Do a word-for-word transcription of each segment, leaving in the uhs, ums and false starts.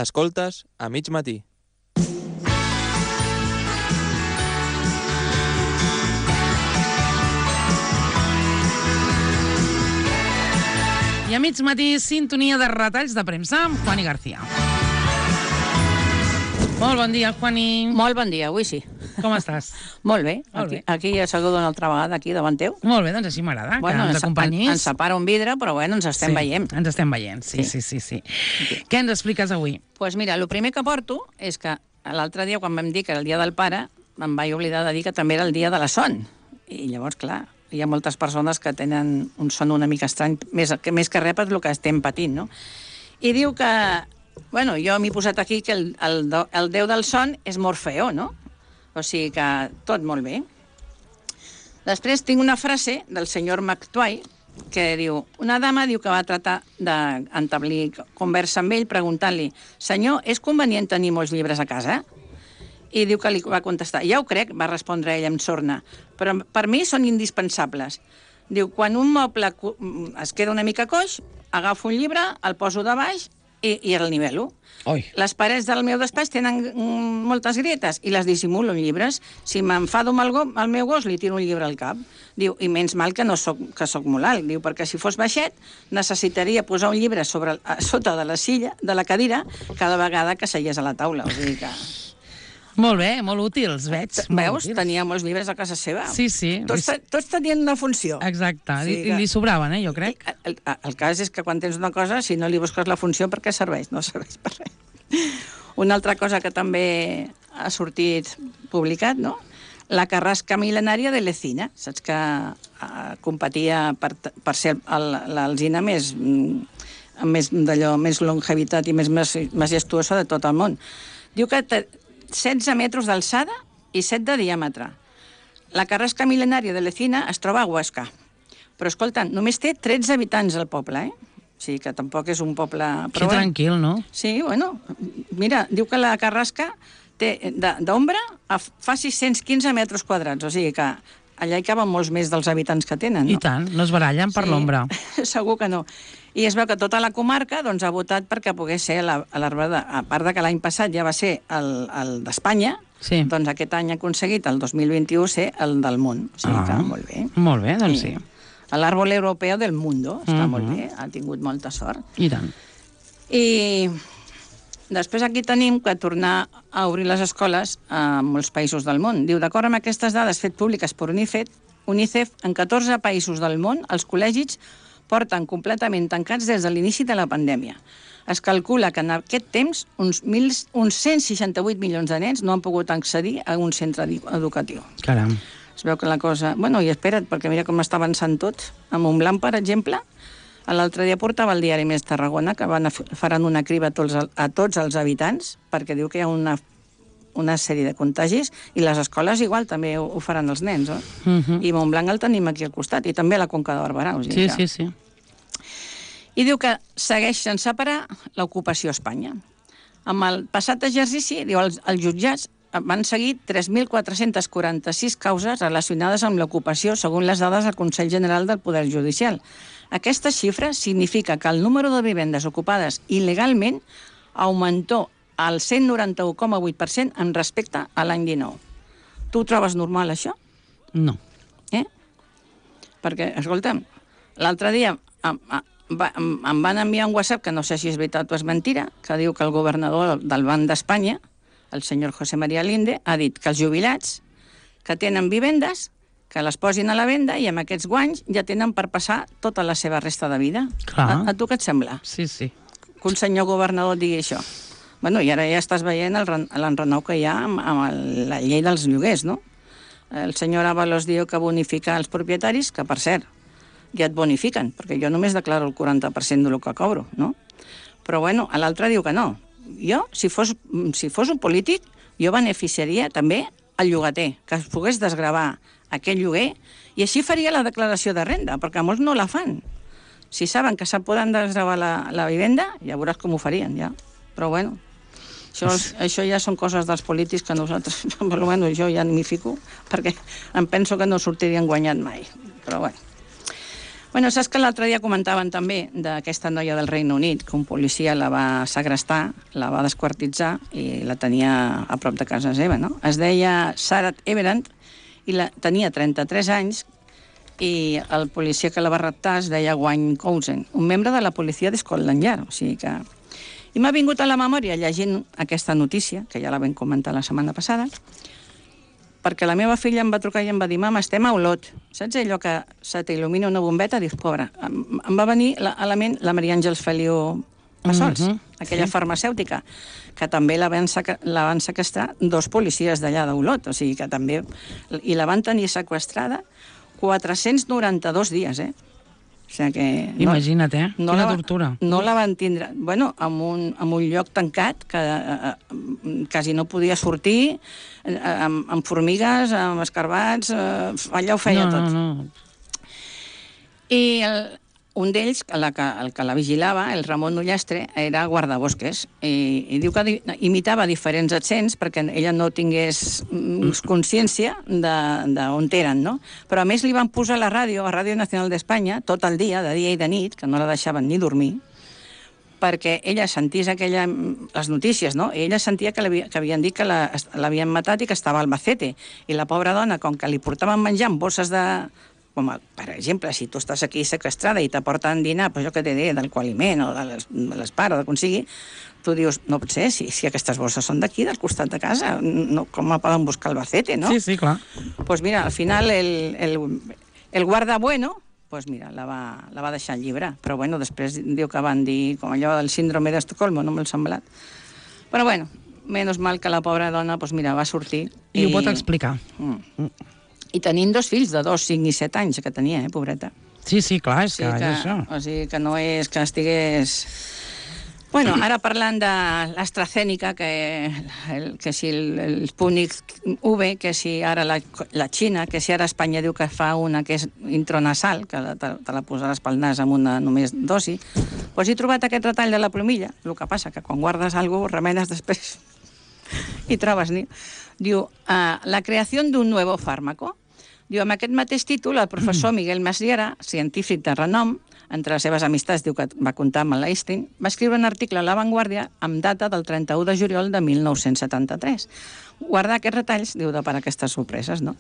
Escoltes a mig matí. I a mig matí, sintonia de retalls de premsa amb Juani García. Molt bon dia, Juani. Molt bon dia, avui sí. Com estàs? Molt bé. Molt Aquí, bé. aquí ja saludo una altra vegada, aquí davant teu. Molt bé, doncs així m'agrada, Bueno, que ens ens, acompanyis. ens separa un vidre, però bueno, ens estem Sí, veient. Ens estem veient, sí, sí, sí. sí. sí. Què ens expliques avui? Doncs pues mira, el primer que porto és que l'altre dia, quan vam dir que era el dia del pare, em vaig oblidar de dir que també era el dia de la son. I llavors, clar, hi ha moltes persones que tenen un son una mica estrany, més que, més que res per el que estem patint, no? I diu que... Bueno, jo m'he posat aquí que el, el, el déu del son és Morfeo, no? O sigui que tot molt bé. Després tinc una frase del senyor McTway que diu, una dama diu que va tratar d'entablir conversa amb ell preguntant-li, senyor, és convenient tenir molts llibres a casa? I diu que li va contestar, ja ho crec, va respondre ell amb sorna, però per mi són indispensables. Diu, quan un moble es queda una mica coix, agafo un llibre, el poso de baix i, i el nivelo. Oi. Les parets del meu despatx tenen mm, moltes grietes i les dissimulo en llibres. Si m'enfado amb el, go, el meu gos, li tiro un llibre al cap. Diu, i menys mal que no soc, que soc molt alt. Diu, perquè si fos baixet, necessitaria posar un llibre sobre, a sota de la silla, de la cadira, cada vegada que seies a la taula. O sigui que... Molt bé, molt útils, veig. Molt Veus? útils. Tenia molts llibres a casa seva. Sí, sí. Tots, tots tenien una funció. Exacte, Sí, I que- li sobraven, eh, jo crec. El, el, el cas és que quan tens una cosa, si no li busques la funció, per què serveix? No serveix per res. Una altra cosa que també ha sortit publicat, no? La carrasca mil·lenària de l'Ecina. Saps que uh, competia per, per ser l'alzina més, mm, més, d'allò, més longevitat i més majestuosa de tot el món. Diu que té setze metres d'alçada i set de diàmetre. La carrasca mil·lenària de l'Ecina es troba a Huesca. Però, escolta, només té tretze habitants al poble, eh? O sigui que tampoc és un poble... Que Però, bueno, tranquil, no? sí, bueno, mira, diu que la carrasca té d'ombra fa sis-cents quinze metres quadrats, o sigui que allà hi caben molts més dels habitants que tenen, no? I tant, no es barallen per Sí, l'ombra. Segur que no. I es veu que tota la comarca doncs, ha votat perquè pogués ser l'arbre de... A part de que l'any passat ja va ser el, el d'Espanya, Sí. doncs aquest any ha aconseguit, el dos mil vint-i-u, ser el del món. O sigui que Ah. molt bé. Molt bé, doncs sí. L'àrbol europeu del mundo, està Mhm. molt bé, ha tingut molta sort. I tant. I després aquí tenim que tornar a obrir les escoles a molts països del món. Diu, d'acord amb aquestes dades fet públiques per UNICEF, UNICEF, en catorze països del món, els col·legis porten completament tancats des de l'inici de la pandèmia. Es calcula que en aquest temps uns, mil, uns cent seixanta-vuit milions de nens no han pogut accedir a un centre educatiu. Caram. Es veu que la cosa... Bueno, i espera't, perquè mira com està avançant tot. A Montblanc, per exemple, l'altre dia portava el diari Més Tarragona, que van a, faran una criba a tots, a tots els habitants, perquè diu que hi ha una, una sèrie de contagis, i les escoles igual també ho, ho faran els nens, eh? Uh -huh. I Montblanc el tenim aquí al costat, i també la Conca de Barberà. O sigui Sí, que... sí, sí. I diu que segueix sense parar l'ocupació a Espanya. Amb el passat exercici, diu, els, els jutjats van seguir tres mil quatre-cents quaranta-sis causes relacionades amb l'ocupació, segons les dades del Consell General del Poder Judicial. Aquesta xifra significa que el número de vivendes ocupades il·legalment augmentó al cent noranta-u coma vuit per cent en respecte a l'any dinou. Tu ho trobes normal, això? No. Eh? Perquè, escolta'm, l'altre dia em, em, em van enviar un WhatsApp, que no sé si és veritat o és mentira, que diu que el governador del Banc d'Espanya, el senyor José María Linde, ha dit que els jubilats que tenen vivendes, que les posin a la venda i amb aquests guanys ja tenen per passar tota la seva resta de vida. Clar. A, a tu què et sembla? Sí, sí. Que un senyor governador digui això. Bueno, i ara ja estàs veient l'enrenou que hi ha amb, amb el, la llei dels lloguers, no? El senyor Ábalos diu que bonifica els propietaris, que per cert, ja et bonifiquen, perquè jo només declaro el quaranta per cent del que cobro, no? Però bueno, l'altre diu que no. Jo, si fos, si fos un polític, jo beneficiaria també el llogater, que es pogués desgravar aquest lloguer, i així faria la declaració de renda, perquè molts no la fan. Si saben que se poden desgravar la, la vivenda, ja veuràs com ho farien, ja. Però bueno, això, això ja són coses dels polítics que nosaltres, però bueno, jo ja m'hi fico, perquè em penso que no sortirien guanyat mai. Però bueno. Bueno, saps que l'altre dia comentaven també d'aquesta noia del Regne Unit, que un policia la va segrestar, la va desquartitzar i la tenia a prop de casa seva, no? Es deia Sarah Everand i la, tenia trenta-tres anys i el policia que la va raptar es deia Wayne Cousin, un membre de la policia de Scotland Yard, o sigui que... I m'ha vingut a la memòria llegint aquesta notícia, que ja la vam comentar la setmana passada, perquè la meva filla em va trucar i em va dir mama, estem a Olot. Saps allò que se t'il·lumina una bombeta? Dius, pobra. Em, em va venir la, a la ment la Maria Àngels Feliu Bassols, uh -huh. aquella sí. farmacèutica, que també la van, la van sequestrar dos policies d'allà d'Olot, o sigui que també... I la van tenir sequestrada quatre-cents noranta-dos dies, eh? O sigui que... No, imagina't, eh? No Quina la, tortura. No la van tindre... Bueno, en un, en un lloc tancat que eh, quasi no podia sortir, eh, amb, amb formigues, amb escarbats, eh, allà ho feia no, tot. No, no. I el, un d'ells, el, que, el que la vigilava, el Ramon Ullastre, era guardabosques. I, i diu que di, imitava diferents accents perquè ella no tingués consciència d'on eren, no? Però a més li van posar a la ràdio, a Ràdio Nacional d'Espanya, tot el dia, de dia i de nit, que no la deixaven ni dormir, perquè ella sentís aquella, les notícies, no? I ella sentia que, que havien dit que l'havien matat i que estava al Albacete. I la pobra dona, com que li portaven menjar en bosses de... Com, per exemple, si tu estàs aquí sequestrada i t'aporten dinar, pues jo que t'he dit, d'alcoholiment o de l'espar o de consigui, tu dius, no pot ser, si, si aquestes bosses són d'aquí, del costat de casa, no, com me poden buscar al Albacete, no? Sí, sí, clar. Doncs pues mira, al final el, el, el guarda bueno, pues mira, la va, la va deixar llibre. Però bueno, després diu que van dir, com allò del síndrome d'Estocolmo, no m'ha semblat. Però bueno, menys mal que la pobra dona, pues mira, va sortir. I, i ho pot explicar. Mm. I tenint dos fills de dos, cinc i set anys que tenia, eh, pobreta. Sí, sí, clar, és o sigui que, que és això. O sigui que no és que estigués... Bueno, ara parlant de l'AstraZeneca, que, el, que si el, el Sputnik V, que si ara la, la Xina, que si ara Espanya diu que fa una que és intranasal, que te, te la posaràs pel nas amb una només dosi, doncs he trobat aquest retall de la plomilla. El que passa que quan guardes alguna cosa, remenes després i trobes ni... Diu, uh, la creació d'un nou fàrmaco. Diu, amb aquest mateix títol, el professor Miguel Masriera, científic de renom, entre les seves amistats, diu que va comptar amb l'Einstein, va escriure un article a La Vanguardia amb data del trenta-u de juliol de mil nou-cents setanta-tres. Guardar aquests retalls, diu, de per aquestes sorpreses, no?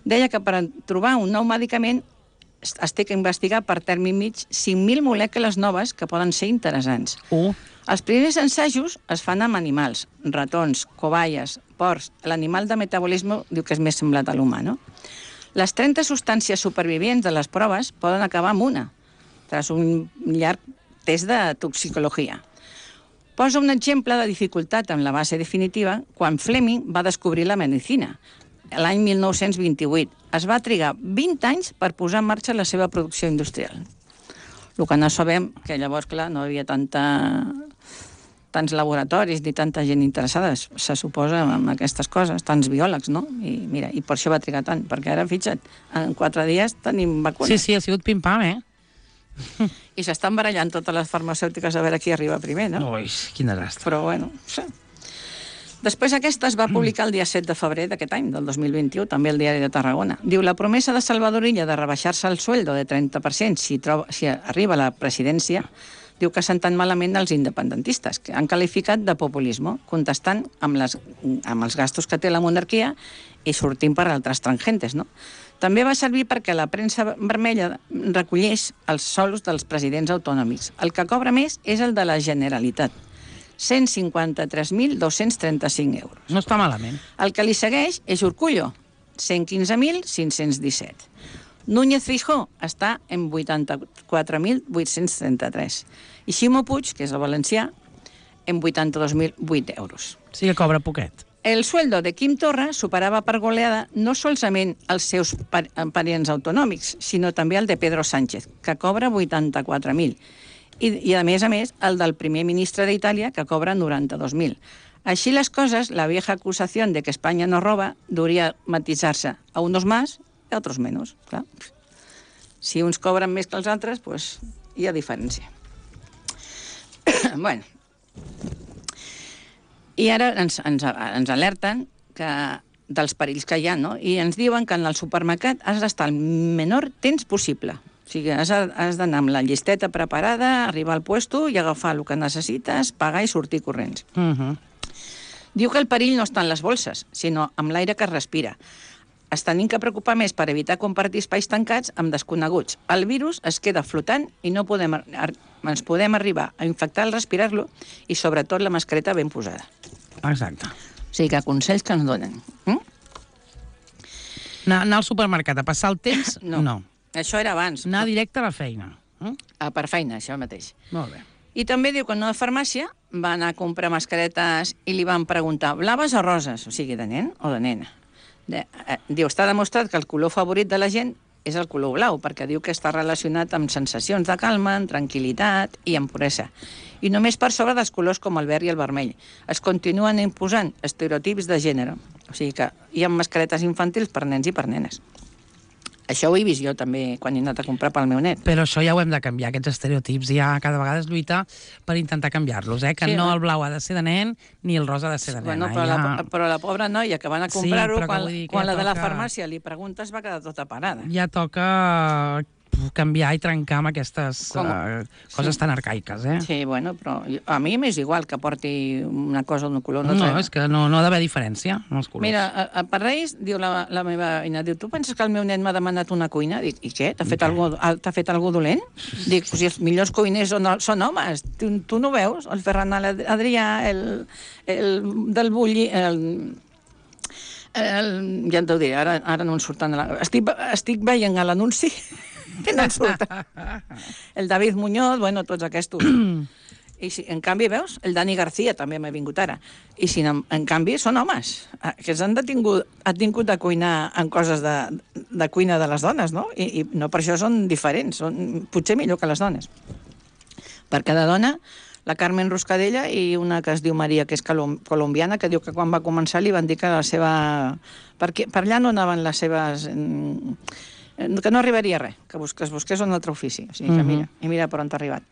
Deia que per trobar un nou medicament es té que investigar per termi mig cinc mil molècules noves que poden ser interessants. Uh. Els primers ensajos es fan amb animals, ratons, cobayes, porcs. L'animal de metabolisme diu que és més semblat a l'humà, no? Les trenta substàncies supervivents de les proves poden acabar amb una, tras un llarg test de toxicologia. Posa un exemple de dificultat amb la base definitiva quan Fleming va descobrir la medicina, l'any mil nou-cents vint-i-vuit. Es va trigar vint anys per posar en marxa la seva producció industrial. El que no sabem, que llavors, clar, no hi havia tanta... tants laboratoris ni tanta gent interessada, se suposa, amb aquestes coses, tants biòlegs, no? I mira, i per això va trigar tant, perquè ara, fixa't, en quatre dies tenim vacunes. Sí, sí, ha sigut pim-pam, eh? I s'estan barallant totes les farmacèutiques a veure qui arriba primer, no? Ui, quin desastre. Però, bueno, sí. Després aquesta es va publicar el dia set de febrer d'aquest any, del dos mil vint-i-u, també al Diari de Tarragona. Diu, la promesa de Salvador Illa de rebaixar-se el sueldo de trenta per cent si, troba, si arriba a la presidència, diu que senten malament els independentistes, que han qualificat de populisme, contestant amb, les, amb els gastos que té la monarquia i sortint per altres tangentes, no? També va servir perquè la premsa vermella recolleix els sols dels presidents autonòmics. El que cobra més és el de la Generalitat, cent cinquanta-tres mil dos-cents trenta-cinc euros. No està malament. El que li segueix és Urkullo, cent quinze mil cinc-cents disset. Núñez Feijóo està en vuitanta-quatre mil vuit-cents trenta-tres. I Ximo Puig, que és el valencià, en vuitanta-dos mil vuit euros. Sí que cobra poquet. El sueldo de Quim Torra superava per goleada no solament els seus parients autonòmics, sinó també el de Pedro Sánchez, que cobra vuitanta-quatre mil. I, i a més a més, el del primer ministre d'Itàlia, que cobra noranta-dos mil. Així les coses, la vieja acusació de que Espanya no roba duria matisar-se a unos más i a otros menos. Clar. Si uns cobren més que els altres, pues, hi ha diferència. Bueno. I ara ens, ens, ens alerten que, dels perills que hi ha, no? I ens diuen que en el supermercat has d'estar el menor temps possible. O sigui, has, has d'anar amb la llisteta preparada, arribar al puesto i agafar el que necessites, pagar i sortir corrents. Uh -huh. Diu que el perill no està en les bolses, sinó amb l'aire que es respira. Es tenim que preocupar més per evitar compartir espais tancats amb desconeguts. El virus es queda flotant i no podem, ens podem arribar a infectar al respirar-lo i, sobretot, la mascareta ben posada. Exacte. O sigui, que consells que ens donen. Mm? Anar, anar al supermercat a passar el temps, no. no. Això era abans. Anar directe a la feina. Mm? Ah, per feina, això mateix. Molt bé. I també diu que en una farmàcia va anar a comprar mascaretes i li van preguntar blaves o roses, o sigui, de nen o de nena. De, eh, diu, està demostrat que el color favorit de la gent és el color blau, perquè diu que està relacionat amb sensacions de calma, amb tranquil·litat i amb puresa. I només per sobre dels colors com el verd i el vermell. Es continuen imposant estereotips de gènere. O sigui que hi ha mascaretes infantils per nens i per nenes. Això ho he vist jo també quan he anat a comprar pel meu net. Però això ja ho hem de canviar, aquests estereotips. Ja cada vegada es lluita per intentar canviar-los, eh? Que Sí, no no? el blau ha de ser de nen ni el rosa ha de ser de nena. Bueno, però, ja... la, però la pobra noia que van a comprar-ho, Sí, però que quan, vull dir que quan ja la de la toca- farmàcia li preguntes va quedar tota parada. ja toca canviar i trencar amb aquestes Com? uh, coses Sí. tan arcaiques, eh? Sí, bueno, però a mi m'és igual que porti una cosa d'un color. No, No, no és que no, no ha d'haver diferència en els colors. Mira, a, a per Reis, diu la, la meva veïna, diu, tu penses que el meu nen m'ha demanat una cuina? Dic, i què? T'ha fet, Què? algú, t'ha fet algú dolent? Dic, si els millors cuiners són, són homes, tu, tu no veus? El Ferran Adrià, el, el del Bulli, el, el, ja t'ho diré, ara, ara no em surten... La, estic, estic veient a l'anunci que no em surt. El David Muñoz, bueno, tots aquests. I si, en canvi, veus, el Dani García també m'ha vingut ara. I si, en, en canvi, són homes, que s'han detingut, han tingut de cuinar en coses de, de cuina de les dones, no? I, i no per això són diferents, són potser millor que les dones. Per cada dona, la Carmen Ruscadella i una que es diu Maria, que és colom colombiana, que diu que quan va començar li van dir que la seva... Per, per allà no anaven les seves... que no arribaria res, que, bus que es busqués un altre ofici. O sigui, que mira, i mira per on t'ha arribat.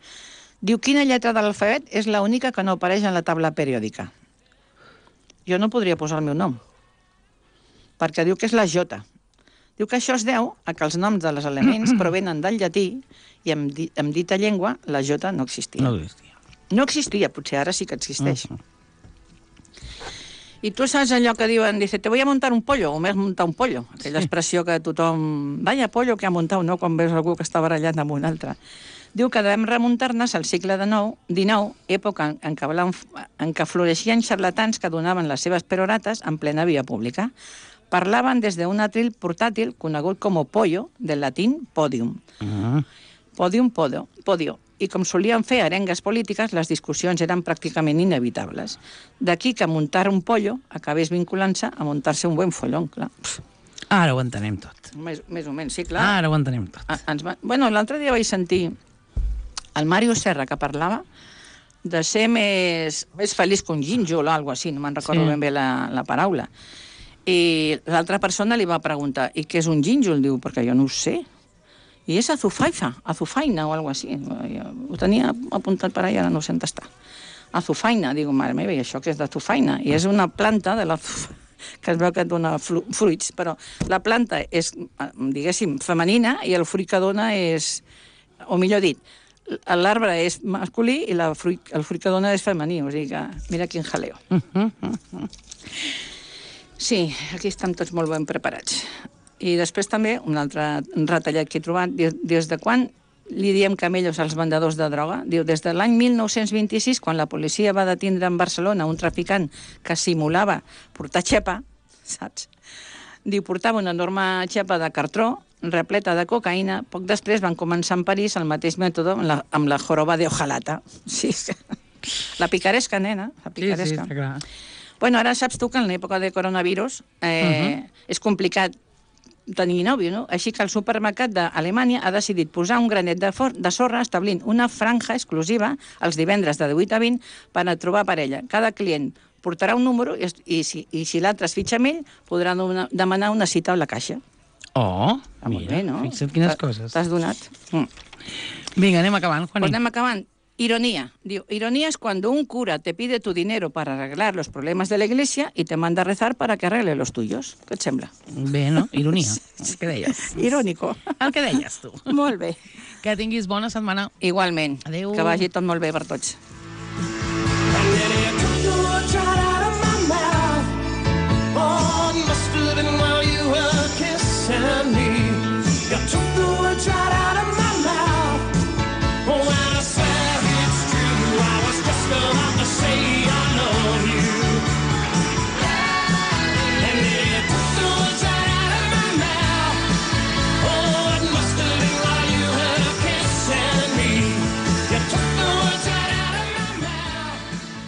Diu, quina lletra de l'alfabet és l'única que no apareix en la taula periòdica? Jo no podria posar el meu nom, perquè diu que és la J. Diu que això es deu a que els noms dels elements provenen del llatí i en, di en dita llengua la J no existia. No existia. No existia, potser ara sí que existeix. Uh -huh. I tu saps allò que diuen, dice, te voy a montar un pollo, o m'has muntat un pollo, aquella sí. expressió que tothom... Vaya pollo que ha muntat, no?, quan veus algú que està barallant amb un altre. Diu que devem remuntar-nos al segle dinou, època en què, en què floreixien xarlatans que donaven les seves perorates en plena via pública. Parlaven des d'un atril portàtil conegut com pollo, del latín podium. Uh -huh. Podium, podio, podio. I com solien fer arengues polítiques, les discussions eren pràcticament inevitables. D'aquí que muntar un pollo acabés vinculant-se a muntar-se un buen follón, clar. Ara ho entenem tot. Més, més o menys, sí, clar. Ara ho entenem tot. A, ens va... Bueno, l'altre dia vaig sentir el Mario Serra, que parlava de ser més, més feliç que un gínjol o alguna cosa així, no me'n recordo sí. ben bé la, la paraula. I l'altra persona li va preguntar, i què és un gínjol? Diu, perquè jo no ho sé. I és azufaifa, azufaina o alguna cosa així. Ho tenia apuntat per allà, ara no sé on està. Azufaina, digo, mare meva, i això què és d'azufaina? I és una planta de la... que es veu que et dona fruits, però la planta és, diguéssim, femenina i el fruit que dona és, o millor dit, l'arbre és masculí i la fruit, el fruit que dona és femení, o sigui que mira quin jaleo. Sí, aquí estan tots molt ben preparats. I després també, un altre retallat que he trobat, des de quan li diem camellos als vendedors de droga? Diu, des de l'any mil nou-cents vint-i-sis, quan la policia va detindre en Barcelona un traficant que simulava portar xepa, saps? Diu, portava una enorme xepa de cartró repleta de cocaïna. Poc després van començar en París el mateix mètode amb la, amb la joroba de hojalata. Sí, la picaresca, nena, la picaresca. Sí, sí, està clar. Bueno, ara saps tu que en l'època de coronavirus eh, uh -huh. és complicat tenir nòvio, no? Així que el supermercat d'Alemanya ha decidit posar un granet de, de sorra establint una franja exclusiva els divendres de divuit a vint per a trobar parella. Cada client portarà un número i, i si, i si l'altre es fitxa amb ell, podrà una, demanar una cita a la caixa. Oh, ah, mira, bé, no? Fixa't quines coses. T'has donat. Mm. Vinga, anem acabant, Juaní. Pues anem acabant. Ironía. Digo, ironía es cuando un cura te pide tu dinero para arreglar los problemas de la iglesia y te manda a rezar para que arregle los tuyos. Què et sembla? Bé, no? Ironia. El que deies. Irònico. El que deies tu. Molt bé. Que tinguis bona setmana. Igualment. Adéu. Que vagi tot molt bé per tots.